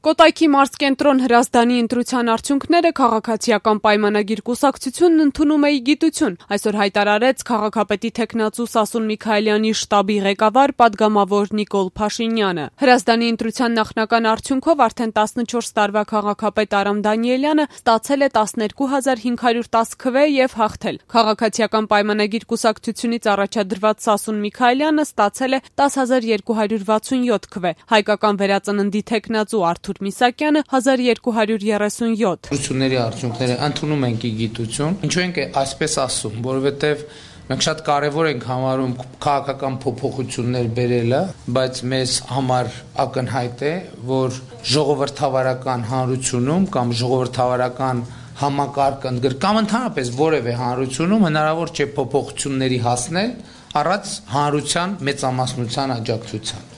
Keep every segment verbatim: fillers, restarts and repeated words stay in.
Կոտայքի մարզկենտրոն Հրազդանի ընտրության արդյունքները քաղաքացիական պայմանագիր կուսակցությունն ընդունում է ի գիտություն, այսօր հայտարարեց քաղաքապետի թեկնածու Սասուն Միքայելյանի շտաբի ղեկավար պատգամավոր Նիկոլ Փաշինյանը։ Հրազդանի ընտրության նախնական արդյունքով արդեն տասնչորս տարվա քաղաքապետ Արամ Դանիելյանը ստացել է տասներկու հազար հինգ հարյուր տաս քվե եւ հաղթել։ Քաղաքացիական պայմանագիր կուսակցությունից առաջադրված Սասուն Միքայելյանը ստացել է տաս հազար երկու հարյուր վաթսունյոթ քվե, հայկական վերածննդի թեկնածու Արթուր Միսակյանը հազար երկու հարյուր երեսունյոթ։ Ընտրությունների արդյունքները ընդունում ենք ի գիտություն։ Ինչու ենք այսպես ասում, որովհետև մենք շատ կարևոր ենք համարում քաղաքական փոփոխություններ բերելը, բայց մեզ համար ակնհայտ է, որ ժողովրդավարական հանրությունում կամ ժողովրդավարական համակարգ ընդգրկամ ընդհանրապես որևէ հանրությունում հնարավոր չէ փոփոխությունների հասնել առանց հանրության մեծամասնության աջակցության։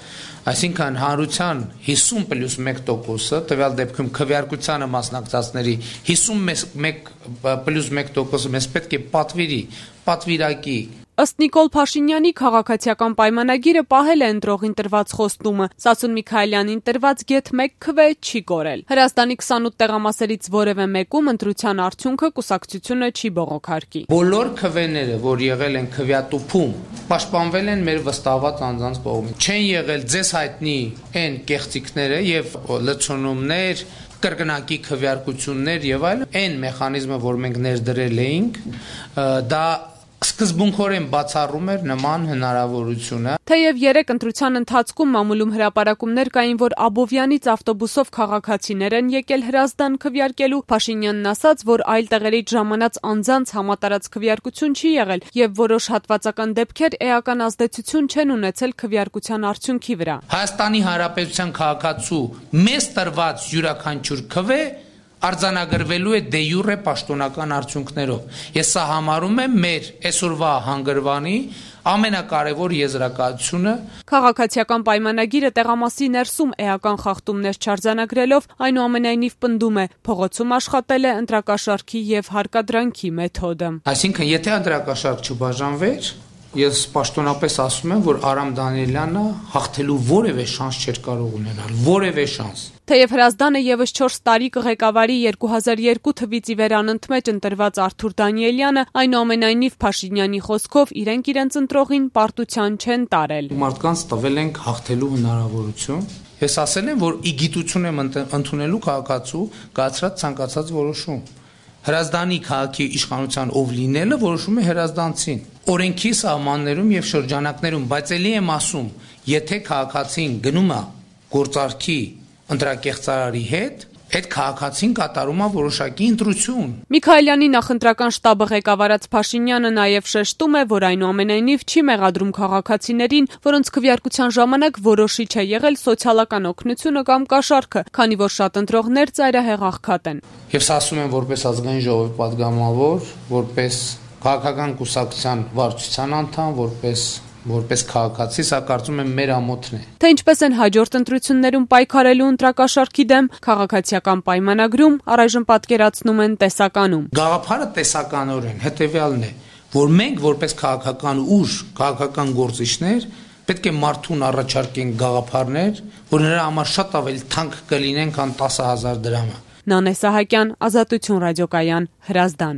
Այսինքն հանրության հիսուն պլյուս մեկ տոկոսը, տվյալ դեպքում քվեարկությանը մասնակցածների հիսունմեկ պլյուս մեկ տոկոսը մեզ պետք է պատվիրի, պատվիրակի։ Ըստ Նիկոլ Փաշինյանի քաղաքացիական պայմանագիրը պահել է ընտրողին տրված խոստումը, Սասուն Միքայելյանին տրված գեթ մեկ քվե չի կորել։ Հրազդանի քսանութ տեղամասերից որևէ մեկում ընտրության արդյունքը կուսակցությունը չի բողոքարկի։ Բոլոր քվեները, որ եղել են քվեատուփում, պաշտպանվել են մեր վստահված անձանց կողմից։ Չեն եղել ձեզ հայտնի այն կեղծիքները եւ լցոնումներ, կրկնակի քվեարկություններ եւ այլն, այն մեխանիզմը, որ մենք ներդրել էինք, դա սկզբունքորեն բացառում էր նման հնարավորությունը։ Թեև երեք ընտրության ընթացքում մամուլում հրապարակումներ կային, որ Աբովյանից ավտոբուսով քաղաքացիներ են եկել Հրազդան քվեարկելու, Փաշինյանն ասաց, որ այլ տեղերից ժամանած անձանց համատարած քվեարկություն չի եղել եւ որոշ հատվածական դեպքեր էական ազդեցություն չեն ունեցել քվեարկության արդյունքի վրա։ Հայաստանի Հանրապետության քաղաքացու մեծ տրված յուրաքանչյուր քվե արձանագրվելու է դե յուրե պաշտոնական արդյունքներով։ Ես սա համարում եմ մեր այսօրվա հանգրվանի ամենակարևոր եզրակացությունը։ Քաղաքացիական պայմանագիրը տեղամասի ներսում էական խախտումներ չարձանագրելով, այնուամենայնիվ պնդում է, փողոցում աշխատել է ընտրակաշառքի եւ հարկադրանքի մեթոդը։ Այսինքն, եթե ընտրակաշառք չբաժանվեր, ես պաշտոնապես ասում եմ, որ Արամ Դանիելյանը հաղթելու որևէ շանս չէր կարող ունենալ, որևէ շանս։ Թեև Հրազդանը եւս չորս տարի կղեկավարի երկու հազար երկու թվից ի վեր անընդմեջ ընտրված Արթուր Դանիելյանը, այնուամենայնիվ Փաշինյանի խոսքով իրենք իրենց ընտրողին պարտության չեն տարել։ Մարդկանց տվել ենք հաղթելու հնարավորություն։ Ես ասել եմ, որ ի գիտություն եմ ընդունելու քաղաքացու կայացրած ցանկացած որոշում։ Հրազդանի քաղաքի իշխանության ով լինելը որոշում է հրազդանցին։ Օրենքի սահմաններում եւ շրջանակներում, բայց ելի եմ ասում, եթե քաղաքացին գնում է գործարքի ընտրակեղծարարի հետ, այդ քաղաքացին կատարում է որոշակի ընտրություն։ Միքայելյանի նախընտրական շտաբը ղեկավարած Փաշինյանը նաև շեշտում է, որ այնուամենայնիվ չի մեղադրում քաղաքացիներին, որոնց քվեարկության ժամանակ որոշիչ է եղել սոցիալական օգնությունը կամ կաշառքը, քանի որ շատ ընտրողներ ծայրահեղ աղքատ են։ Ես ասում եմ որպես ազգային ժողովի պատգամավոր, որպես քաղաքական կուսակցության վարչության անդամ, որպես որպես քաղաքացի, սա կարծում եմ մեր ամոթն է։ Թե ինչպես են հաջորդ ընտրություններում պայքարելու ընտրակաշառքի դեմ, քաղաքացիական պայմանագրում առայժմ պատկերացնում են տեսականում։ Գաղափարը տեսականորեն հետևյալն է, որ մենք որպես քաղաքական ուժ, քաղաքական գործիչներ պետք է մարդուն առաջարկենք գաղափարներ, որ նրա համար շատ ավելի թանկ կլինեն, քան տասը հազար դրամը։ Նանե Սահակյան, Ազատություն ռադիոկայան, Հրազդան։